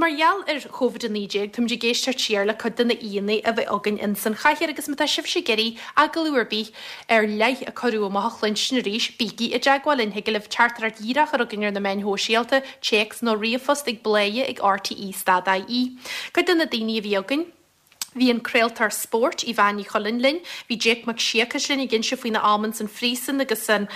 mar gheall ar Covid-19, táimid ag éisteacht siar le cuid de na aíonna a bhí againn ins an chathaoir agus má tá sibhse ag iarraidh agallamh ar bith ar leith a cuireadh amach a chluinstin arís, bígí i dteagmháil linn. Thig libh teachtaireacht dhíreach a chur chugainn ar na meáin shóisialta, téacs nó ríomhphost ag bladhaire ag rte stad ie. Cuid de na daoine a bhí againn. Bhí an craoltóir spóirt, Yvonne Ní Chuilinn linn, bhí Jake Mac Siacais linn ag inse faoina am ins an phríosún agus an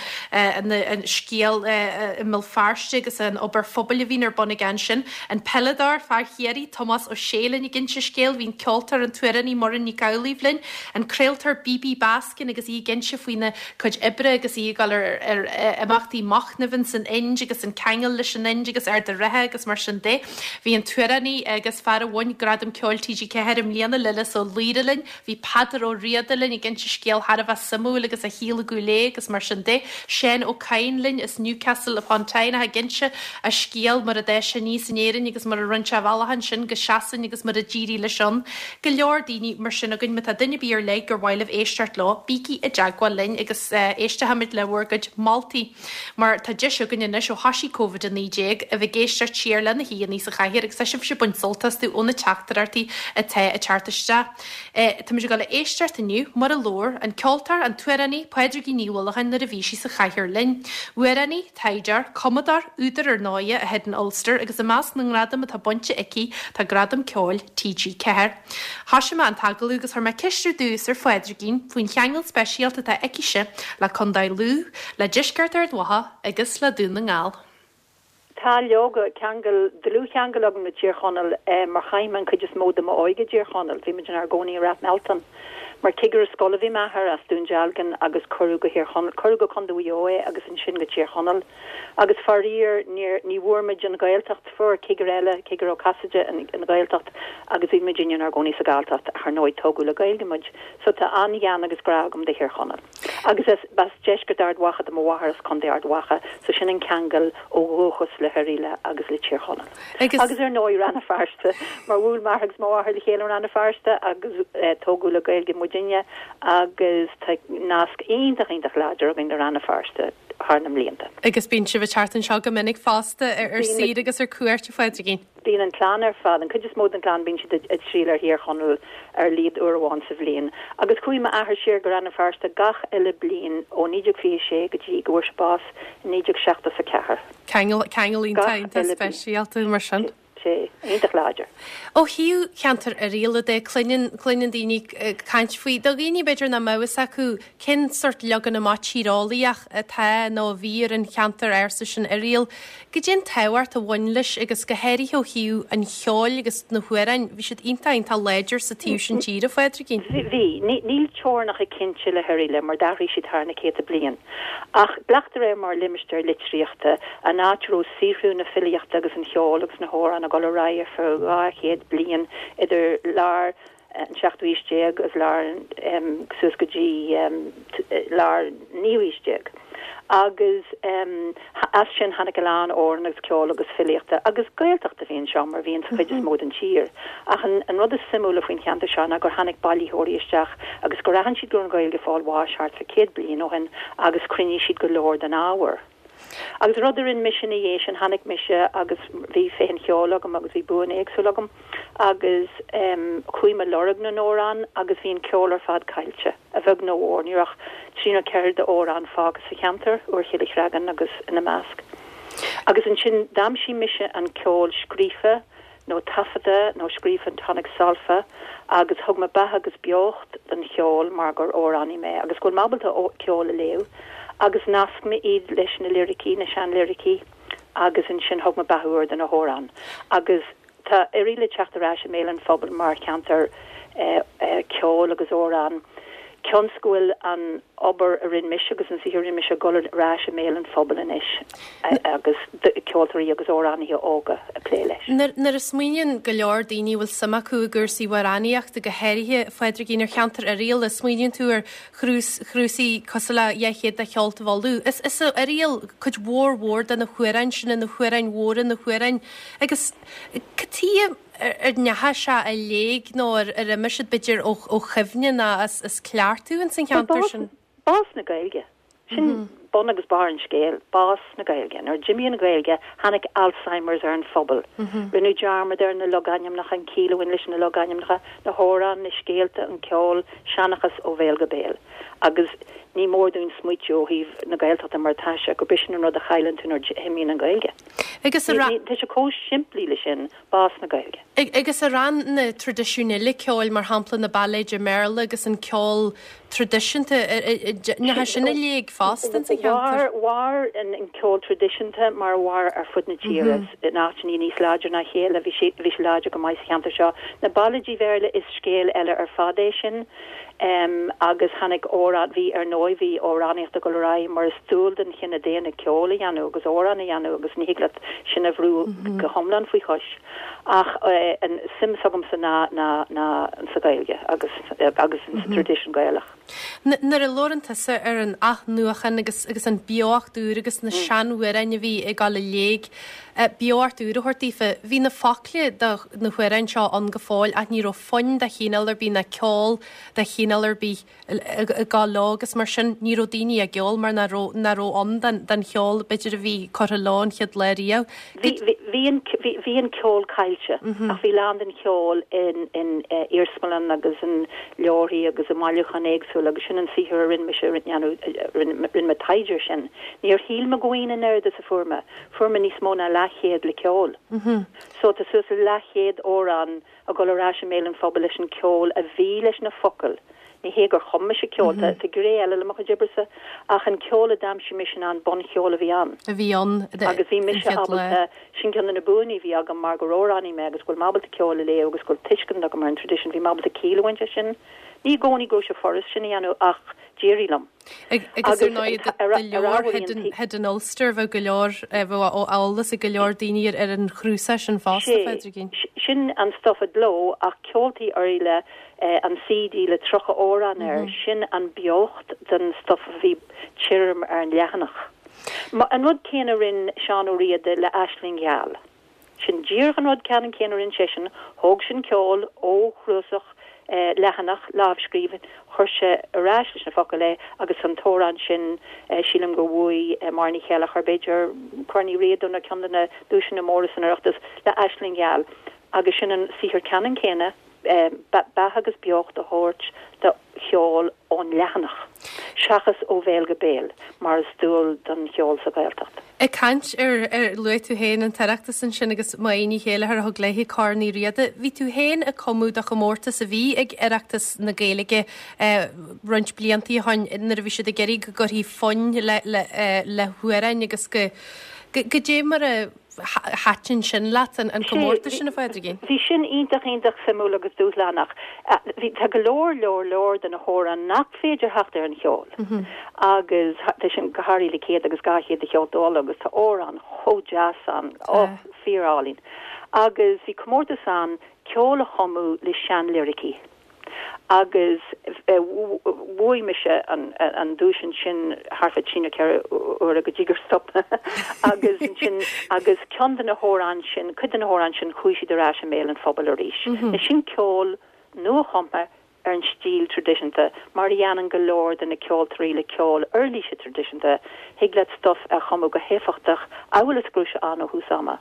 scéal i mBéal Feirste agus an obair phobail a bhíonn ar bun aige ansin. An peileadóir, fear Chiarraí, Tomás Ó Sé linn ag inse scéil, bhí an ceoltóir, an t-amhránaí Muireann Nic Amhlaoibh linn, an craoltóir Bibi Baskin agus í ag inse faoina cuid oibre agus í ag dul ar imeachtaí machnaimh ins an Ind agus an ceangal leis an Ind agus Ard an Rátha agus mar sin de. Bhí an t-amhránaí agus fear a bhain Gradam Ceoil TG4 i mbliana, Lillis Ó Laoire linn, bhí Peadar Ó Riada linn ag inse scéal thar a bheith suimiúil agus a shaol i gCúil Aodha agus mar sin de. Seán Ó Cadhain linn as Newcastle upon Tyne ag inse a scéal mar a d'fhás sé aníos in Éirinn agus mar a rinne sé a bhealach ansin go Sasain agus mar a d'éirigh leis ann. Go leor daoine mar sin againn. Má tá duine ar bith ar leith gur mhaith libh éisteacht leo, bígí i dteagmháil linn agus éistfimid le bhur gcuid moltaí. Mar tá deis againn anois ó thoisigh Covid-19 a bheith ag éisteacht siar le na haíonna sa chathaoir agus tá sibhse ag baint sult astu ó na teachtaireachtaí atá ag teacht isteach. Táimid ag dul a éisteacht inniu mar a labhair an ceoltóir, an t-amhránaí Pádraigín Ní Uallacháin nuair a bhí sí sa chathaoir linn. Amhránaí, taighdeoir, cumadóir, údar ar ndóighe, a Hidden Ulster agus i measc na ngradam atá bainte aici tá Gradam Ceoil TG4. Thoisigh mé an t-agallamh agus chuir mé ceist ar dtús ar Phádraigín faoin cheangal speisialta atá aicise le Contae Lú, le deisceart Ard Mhacha agus le Dún na nGall. Tá leoga, ceangal, dlúthcheangal agam le Tír Chonaill mar chaith mé an chuid is mó de m'óige i dTír Chonaill. Bhí muid inár gcónaí i Rath Mealtain. Mar chigire scoile bhí m'athair as Dún Dealgan agus cuireadh go Thír Chonaill, cuireadh go Contae Mhaigh Eo é agus ansin go Tír Chonaill. Agus faraor, níor, ní bhfuair muid an Ghaeltacht, fuair cigire eile, Cigire Ó Casaide, an Ghaeltacht agus bhí muidinne inár gcónaí sa Ghalltacht ach ar ndóigh tógadh le Gaeilge muid. So tá an-ghean agus grá agam do Thír Chonaill. Agus as, b'as deisceart Ard Mhacha do mo mháthair as Contae Ard Mhacha so sin an ceangal ó dhúchas le hOirialla agus le Tír Chonaill. Agus. Agus ar ndóigh Rann na Feirste mar bhuail m'athair agus mo mháthair le chéile i Rann na Feirste agus tógadh le Gaeilge muidinne agus tá nasc iontach iontach láidir againn le Rann na Feirste. thar na mblianta. Agus bíonn sibh ag teacht anseo go minic fosta ar saoire agus ar cuairt, a Phádraigín? Bíonn an clann ar fad, an chuid is mó den chlann, bíonn siad ag triall ar Thír Chonaill ar a laghad uair amháin sa bhliain. Agus chuaigh m'athair siar go Rann na Feirste gach uile bliain ó 1926 go dtí go bhfuair sé bás i 1974. Ceangal, ceangal iontach, iontach speisialta mar sin. sé iontach láidir. Ó thaobh cheantar Oirialla de, cluineann, cluineann daoine caint faoi, do dhaoine b'fhéidir nach mbeadh fhios acu cén sort leagan amach tíreolaíoch atá nó a bhí ar an cheantar ársa sin Oiriall, goidé an tábhacht a bhain leis agus go háirithe ó thaobh an cheoil agus na hamhráin, bhí siad iontach, iontach láidir sa taobh sin tíre, a Phádraigín. Bhí. Níl teorainneacha cinnte le hOirialla mar d'athraigh siad thar na céadta bliain. Ach glactar air mar limistéar litríochta, an áit a raibh saothrú na filíochta agus an cheoil agus na hamhrán ag dul ar aghaidh ar feadh 200 bliain idir lár an seachtú haois déag agus lár suas go dtí lár an naoú haois déag. Agus as sin tháinig a lán amhrán agus ceoil agus filíochta agus Gaeltacht a bhí anseo mar a bhíonn sa chuid is mó den tír. Ach an rud is suimiúla faoin cheantar seo ná gur tháinig bailitheoirí isteach agus gur aithin siad go raibh an Ghaeilge ag fáil bháis thart fá 100 bliain ó shin agus chruinnigh siad go leor den ábhar. Agus rud a rinne mise ina dhiaidh sin, tháinig mise agus bhí féith an cheoil agam agus bhí buanna éagsúla agam agus chuaigh mé ag lorg na n-amhrán agus bhí an ceol ar fad caillte, a bheag nó a mhór. Ní raibh ach trí nó ceithre d'amhráin fágtha sa cheantar, Úr Chille Chreagáin agus ina measc. Agus ansin d'aimsigh mise an ceol scríofa nó taifeadta nó scríofa in tonic sol-fa agus thug mé beatha agus beocht don cheol mar gur amhránaí mé agus go bhfuil mé ábalta ceol a léamh agus nasc mé iad leis na liricí, na seanliricí agus ansin thug mé beatha úr do na hamhráin agus tá Oirialla ag teacht ar ais i mbéal an phobail mar cheantar ceoil agus amhrán cionn 's go bhfuil an obair a rinne mise agus an saothar a rinne mise ag dul ar ais i mbéal an phobail anois agus ceoltóirí agus amhránaithe óga ag plé leis. Nuair a smaoiníonn go leor daoine a bhfuil suim acu i gcúrsaí amhránaíochta, go háirithe, a Phádraigín, ar cheantar Oirialla, smaoiníonn tú ar chnuasaigh cosúil le 200 de Cheoltaibh Uladh. Is as Oiriall cuid mhór mhór de na hamhráin sin, na hamhráin mhóra, na hamhráin agus cad chuige ar ndeachaigh sé i léig nó ar imigh siad b'fhéidir ó chuimhne nó as cleachtadh ins an cheantar sin? Bás na Gaeilge. Sin. bun agus barr an scéil, bás na Gaeilge. Nuair a d'imigh an Ghaeilge, tháinig Alzheimer's ar an phobal. Rinneadh dearmad ar na logainmneacha, an chiall a bhain leis na logainmneacha, na hamhráin, na scéalta, an ceol, seanchas ó bhéal go béal. Agus ní mór dúinn smaoitiú ó thaobh na Gaeltachta mar atá sé, gurb é sin an rud a chailleann tú nuair a imíonn an Ghaeilge. Agus a. Tá sé chomh simplí le sin, bás na Gaeilge. Agus ar fhan na traidisiúin eile ceoil, mar shampla na bailéid i mBéarla agus an ceol traidisiúnta, ndeachaigh sin i léig fosta ins an cheantar? Mhair an ceol traidisiúnta mar a mhair ar fud na tíre, in áiteanna níos láidre ná a chéile, bhí sé bhí sé láidir go maith sa cheantar seo. Na bailéidí Bhéarla is scéal eile ar fad é sin. Agus tháinig amhrán, bhí ar ndóigh bhí amhránaíocht ag dul ar aghaidh mar is dual don chine daonna ceol a dhéanamh agus amhrán a dhéanamh agus ní thig leat sin a bhrú go hiomlán faoi chois. Ach an suim s'agamsa ná ná ná sa Ghaeilge agus agus sa traidisiún Gaelach. Nuair a labhrann tusa ar an athnuachan agus agus an beocht úr agus na seanamhráin a bhí ag dul i léig, beocht úr a thabhairt daofa, bhí na focla do na hamhráin seo ann go fóill ach ní raibh fonn de chineál ar bith ná ceol de chineál ar bith ag gabháil leo agus mar sin ní raibh daoine á gceol mar nach raibh nach raibh ann den den cheol b'fhéidir a bhí curtha leo an chéad lá riamh. Bhí bhí an bhí bhí an ceol caillte ach bhí lán den cheol in in iarsmalann agus in leabharthaí agus i mbailiúcháin éagsúla agus sin an saothar a rinne mise a rinne rinne mé taighde air sin. Níor shíl mé go bhfaighinn an oiread is a fuair mé. Fuair mé níos mó ná leathchéad le ceol. So tá suas le leathchéad amhrán ag dul ar ais i mbéal an phobail leis an ceol a bhí leis na focail. Ní hé gur chum mise ceol, tá gné eile le mo chuid oibrese, ach an ceol a d'aimsigh mise ná an buncheol a bhí ann. a bhí ann Agus bhí mise ábalta, sin ceann de na buanna a bhí agam mar gur amhránaí mé agus go bhfuil mé ábalta ceol a léamh agus go bhfuil tuiscint agam ar an traidisiún, bhí mé ábalta ciall a bhaint as sin. Ní i gcónaí go raibh sé furast sin a dhéanamh ach d'éirigh liom. Agus ar ndóigh do leabhar Hidden Ulster bheadh go leor, bheadh eolas ag go leor daoine ar an chnuasach sin fosta, a Phádraigín. Sin an stuif i gcló ach Ceoltaí Oirialla, an CD le 30 amhrán air, sin an beocht den stuif a bhí tirim ar an leathanach. An rud céanna a rinne Seán Ó Riada le Aisling Gheal. Sin díreach an rud ceannann céanna a rinne seisean, thóg sé an ceol ó chnuasach leathanach, lámhscríbhinn, chuir sé ar ais leis na focail é agus an t-amhrán sin, sílim gur bhuaigh Máire Ní Chéileachair, b'fhéidir, Corn Uí Riada nó ceann de na duaiseanna móra san Oireachtas, le Aisling Gheal agus sin an saothar ceannann céanna. beatha agus beocht a thabhairt do cheol ón leathanach, seachas ó bhéal go béal, mar is dual don cheol sa Ghaeltacht. Ag caint ar, ar, luaigh tú féin an tOireachtas ansin agus Máire Ní Chéileachair a thug léi Corn Uí Riada. Bhí tú féin ag cumadh do chomórtas a bhí ag Oireachtas na Gaeilge roinnt bliantaí ó shoin nuair a bhí siad ag iarraidh go gcuirfí fonn le, le, le hamhráin agus go, go, goidé mar a, Thaitin sin leat, an comórtas sin, a Phádraigín? Bhí sin iontach, iontach suimiúil agus dúshlánach. Bhí, tá go leor, leor, leor de na hamhráin nach féidir theacht ar an cheol agus tá sin go háirithe le 100 agus 200 de Cheolta Uladh agus tá amhráin chomh deas ann, oh, fíor-álainn. Agus bhí comórtas ann ceol a chumadh le seanliricí. agus bhuaigh mise an duais ansin thart fá trí nó ceithre huaire go dtí gur stop mé agus ansin agus ceann de na hamhráin sin, cuid de na hamhráin sin chuaigh siad ar ais i mbéal an phobail arís. Sin ceol nuachumtha ar an stíl traidisiúnta mar a dhéanann go leor de na ceoltóirí le ceol uirlíse traidisiúnta, thig leat stuif a chumadh go héifeachtach amhail is go raibh sé ann ó thús ama.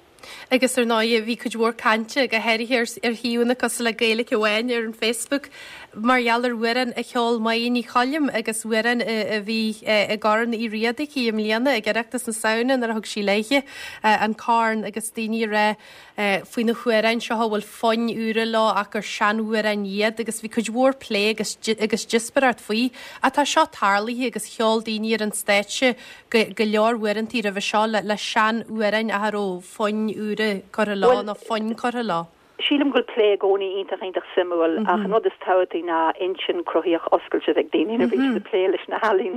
Agus ar ndóigh, bhí cuid mhór cainte, go háirithe ar shuíomhanna cosúil le Gaeilge Amháin ar an Facebook, mar gheall ar amhrán a cheol Máire Ní Choilm agus amhrán a bhí i gCorn Uí Riada aici i mbliana ag Oireachtas na Samhna nuair a thug sí léi an corn agus daoine ag rá faoi na hamhráin seo a bhfuil foinn úra leo ach gur seanamhráin iad agus bhí cuid mhór plé agus agus díospóireacht faoi. Ach tá seo tarlaithe agus cheol daoine ar an stáitse go leor uaireantaí roimhe seo le seanamhráin ach a raibh foinn úra curtha leo nó fonn curtha leo. Sílim go bhfuil plé i gcónaí iontach iontach suimiúil ach an rud is tábhachtaí ná intinn chruthaíoch oscailte a bheith ag daoine nuair a bhíonn siad ag plé leis na healaín.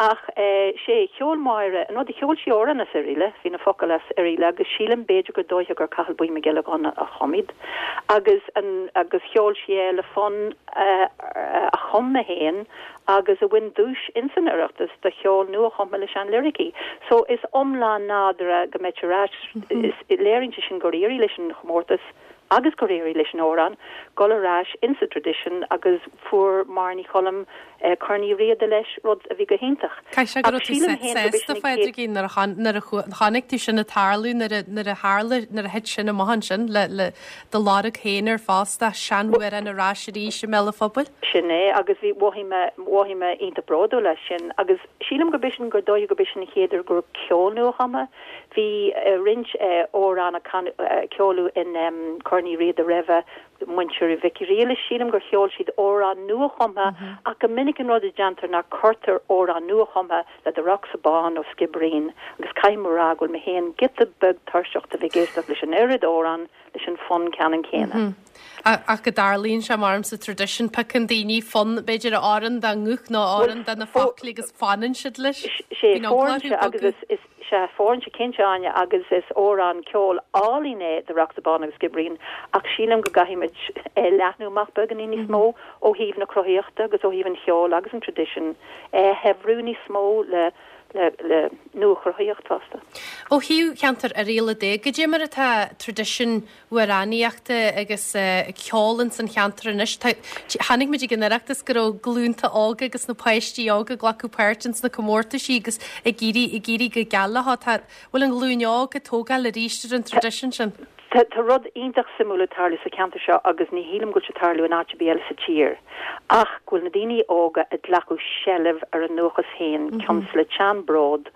Ach sé, cheol Máire, an rud a cheol sí amhrán as Oirialla, bhí na focail as Oirialla agus sílim b'fhéidir gur dóiche gur Cathal Buí Mac Giolla Ghunna a chum iad agus an agus cheol sí é le fonn a chum mé féin agus a bhain duais ins an Oireachtas do cheol nua-chumtha le sean-liricí. So is iomlán nádúrtha go mbeadh ar ais. Léiríonn sé sin gur éirigh leis an chomórtas. agus gur éirigh leis an amhrán dul ar ais insa traidisiún agus fuair Máire Ní Choilm Corn Uí Riada leis, rud a bhí go hiontach. Caithfidh sé go raibh tú sásta, a Phádraigín, nuair a chonaic tú sin ag tarlú, nuair a tharla, nuair a thit sin amach ansin le le do lorg féin ar fostú seanamhrán ar ais arís i mbéal an phobail. Sin é, agus bhí, mhothaigh mé, mhothaigh mé iontach bródúil as sin agus sílim gurb in, gur dóiche gurb é sin an chéad uair go raibh ceol nuachumtha. Bhí roinnt amhrán a ceoladh in Corn Uí Riada roimhe, muintir Mhic Ghriallais, sílim gur cheol siad amhrán nuachumtha ach go minic an rud a déantar ná cuirtear amhrán nuachumtha le The Rock Bán nó Skibbereen agus caithfidh mé a rá go bhfuil mé féin giota beag tuirseach de bheith ag éisteacht leis an oiread amhrán leis an fonn ceannann céanna. Ach go dtarlaíonn sé mar sa traidisiún, piocann daoine fonn b'fhéidir a oireann dá nguth nó a oireann do na foclaí agus fanann siad leis. Sé, fóireann sé agus is Sea, fóireann sé cinnte, Áine, agus is amhrán ceoil álainn é The Rocks Bán agus Skibbereen, ach sílim go gcaithfimid é a leathnú amach beagáinín níos mó ó thaobh na cruthaíochta agus ó thaobh an cheoil agus an traidisiúin, é a shaibhriú níos mó le le nuachruthaíocht fosta. Ó thaobh cheantar Oirialla de, goidé mar atá traidisiún amhránaíochta agus ceol ins an cheantar anois. Chonaic muid ag an Oireachtas go raibh glúnta óga agus na páistí óga ag glacadh páirt ins na comórtaisí agus ag éirí ag éirí go geal leo. Tá bhfuil an ghlúin óg ag tógáil arís ar an traidisiún sin? Tá tá rud iontach suimiúil ag tarlú sa cheantar seo agus ní shílim go bhfuil sé ag tarlú in áit ar bith eile sa tír ach go bhfuil na daoine óga ag glacadh seilbh ar a ndúchas féin cionn is le teann bród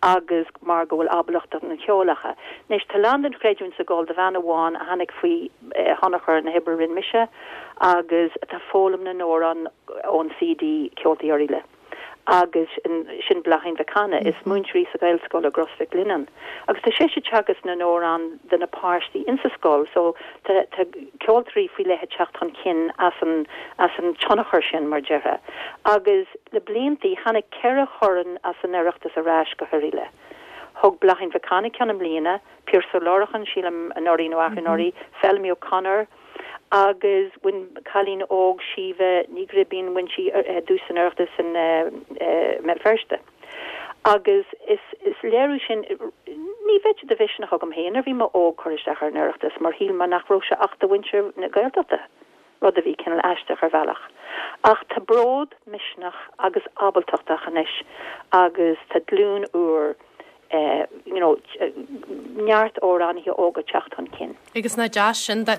agus mar go bhfuil ábalacht an cheoil acu. Anois, tá a lán den chreidiúint ag gabháil do bhean amháin a tháinig faoi thionchar na hoibre a rinne mise agus atá ag foghlaim na n-amhrán ón CD Ceoltaí Oirialla agus sin Bláithín Mhic Cana. Is múinteoir í sa Ghaelscoil i gCros Mhic Lionnáin agus tá sise ag teagasc na n-amhrán do na páistí insa scoil so tá tá ceoltóirí faoi leith ag teacht chun cinn as an as an tionchar sin mar déarfá agus Le bliantaí, tháinig 4 chorn as an Oireachtas ar ais go hOirialla. Thug Bláithín Mhic Cana ceann i mbliana, Pearse Ó Lorcáin, sílim, anuraidh nó arú-anuraidh, Feilimí O'Connor, agus bhain cailín óg, Síomha Ní Ghribín, bhain sí duais san Oireachtas i mBéal Feirste. Agus is léiriú sin, ní bheadh sé de mhisneach agam féin nuair a bhí mé óg cur isteach ar an Oireachtas mar shíl mé nach raibh sé ach do mhuintir na Gaeltachta. rud a bhí cineál aisteach ar bhealach. Ach tá bród, misneach agus ábaltacht acu anois agus tá glúin úr, you know, neart amhránaithe óga ag teacht chun cinn. Agus nach deas sin do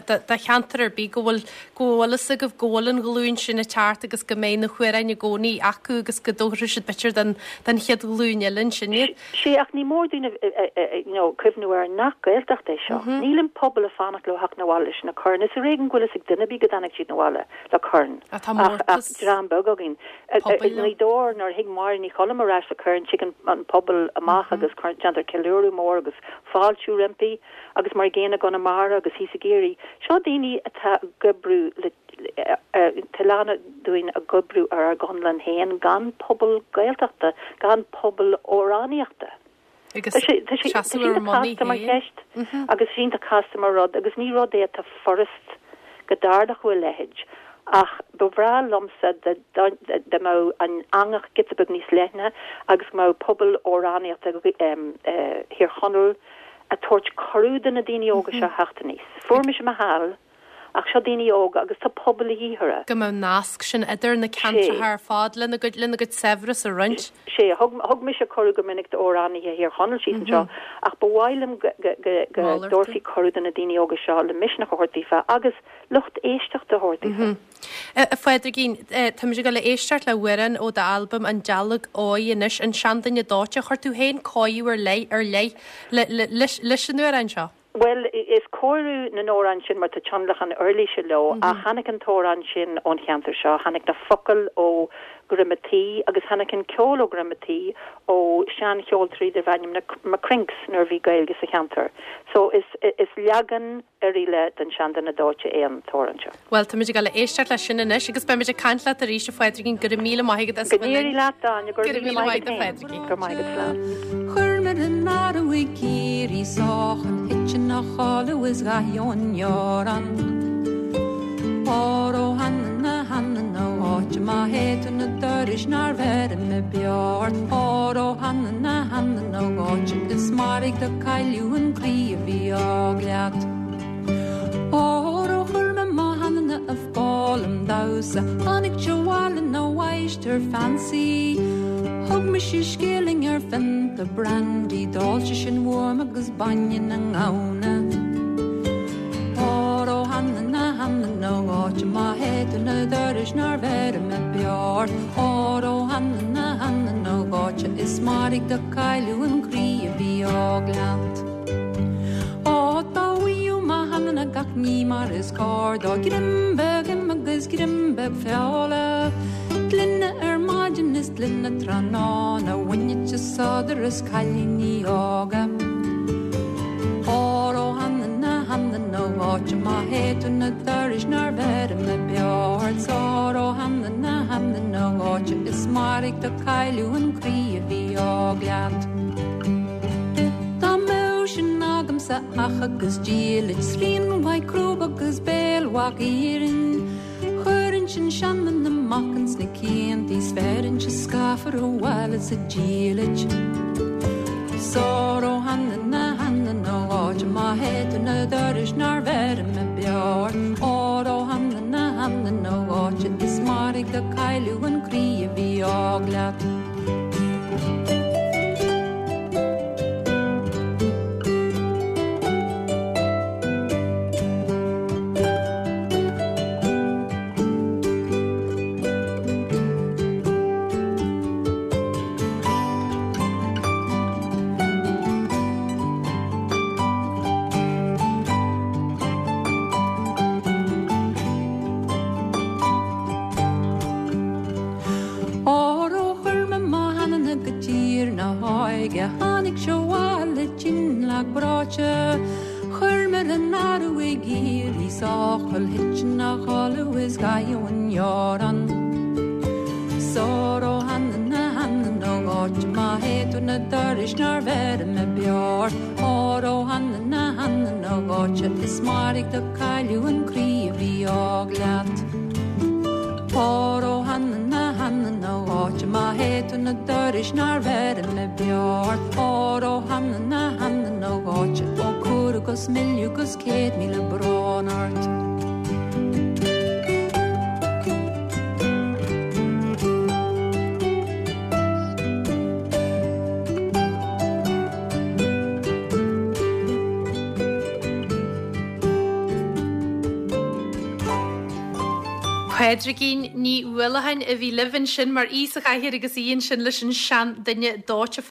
cheantar ar bith go bhfuil, go bhfuil fhios agaibh go bhfuil an ghlúin sin ag teacht agus go mbeidh na hamhráin i gcónaí acu agus go dtabharfaidh siad b'fhéidir don, don chéad ghlúin eile ansin iad. Sea, ach ní mór dúinn you know cuimhniú air nach Gaeltacht é seo. Níl an pobal ag fanacht leo theacht 'na bhaile leis na coirn. Is ar éigean go bhfuil fhios ag duine ar bith go dtáinig siad 'na bhaile le corn. Ach ach dream beag againn. I nGaoth Dobhair nuair a thig Máire Ní Choilm ar ais le corn tig an pobal amach agus déantar ceiliúradh mór agus fáiltiú roimpi agus mar an gcéanna i gConamara agus thíos i gCiarraí. Seo daoine atá ag oibriú le Tá a lán dúinn ag oibriú ar ár gconlán féin gan pobal Gaeltachta, gan pobal amhránaíochta. Agus Tá sé tá sé seasamh ar iontach mbonnaí casta mar féin. cheist agus is iontach casta mar rud agus ní rud é atá furast go dtarlódh a leithéid ach ba bhreá liomsa dá dá mbeadh an eangach giota beag níos leithne agus go mbeadh pobal amhránaíochta Thír Chonaill ag tabhairt cuireadh do na daoine óga seo theacht aníos. Fuair mise mo sheal. Ach seo daoine óga agus tá pobal a dhíth orthu. Go mbeadh nasc sin idir na ceantracha ar fad lena gcuid, lena gcuid saibhreas a roinnt. Sea, thug, thug mise cuireadh go minic d'amhránaithe Thír Chonaill síos anseo ach ba mhaith liom go, go, go, go dtabharfaí cuireadh do na daoine óga seo le misneach a thabhairt daofa agus lucht éisteachta a thabhairt daofa. A Phádraigín, táimid ag dul a éisteacht le hamhrán ó d'albam An Dealg Óigh anois, An Seanduine Dóite. Chuir tú féin cóiriú ar leith, ar leith le, le, leis, leis an amhrán seo. Bhuel, is cóiriú na n-amhrán sin mar tá tionlacan uirlise leo, ach tháinig an t-amhrán sin ón cheantar seo, tháinig na focail ó Dhroim a' Tí agus tháinig an ceol ó Dhroim a' Tí ó seancheoltóirí darbh ainm na McCrinks nuair a bhí Gaeilge sa cheantar. So is is leagan Oirialla den Seanduine Dóite é an t-amhrán seo. Bhuel, táimid ag dul a éisteacht leis sin anois agus beimid ag caint leat arís, a Phádraigín. Go raibh míle maith agat as a bheith linn. Go n-éirí leat, Áine. Go raibh míle maith agat a Phádraigín. Go raibh maith agat, slán. Chuir mé an arbh ag éirí sách an thit ina chodladh is dhath ón ngearán. Óró hanana hanana áit má théid tú na dorais nár bheir mé beo ort. Óró hanana hanana áit is mairg do cailleadh an croí a bhí óg leat. Ó! damhsa Tháinig sé abhaile 'na mháistir fancy Thug mise scilling ar phionta brandy D'ól sé sin uaim agus bainne na ngamhna Óró hanana hanana áit má théid tú 'na dorais nár bheir mé beo ort Óró hanana hanana áit is mairg do cailleadh an croí a bhí óg leat. Ó dá bhfaigheadh mo hanana gach ní mar is cóir dó Greim beag im agus greim beag feola Gloine ar maidin is gloine tráthnóna Bhainfeadh sé sodar as cailíní óga. Óró hanana hanana áit má théid tú 'na dorais nár bheir mé beo ort Óró hanana hanana áit is mairg do cailleadh an croí a bhí óg leat. Dá mbeadh sin agamsa each agus diallait, srian mhaith crúb agus béal mhaith iarainn, chuirfinnse an seanbhean amach ins na ciantaí 's bheirinnse scáfar abhaile sa diallait. 'S óró hanana hanana áit má théid tú 'na dorais nár bheir mé beo ort, óró hanana hanana áit is mairg do cailleadh an croí a bhí óg leat. Óró chuir mé mo hanana go tír na hóige Tháinig sé abhaile tinn lag breoite Chuir mé le n-adhradh ag iarraidh sáchail Thit ina chodladh is gabhadh an gearán 'S óró hanana hanana áit má théid tú 'na dorais nár bheir mé beo ort Óró hanana hanana áit is mairg do cailleadh an croí a bhí óg leat. Óró hanana hanana áit má théid tú 'na dorais nár bheir mé beo ort Óró hanana hanana áit ó cúr agus milleadh agus 100,000 brón ort. Pádraigín Ní Uallacháin a bhí libh ansin mar aoi sa chathaoir agus í ansin leis an seanduine dóite.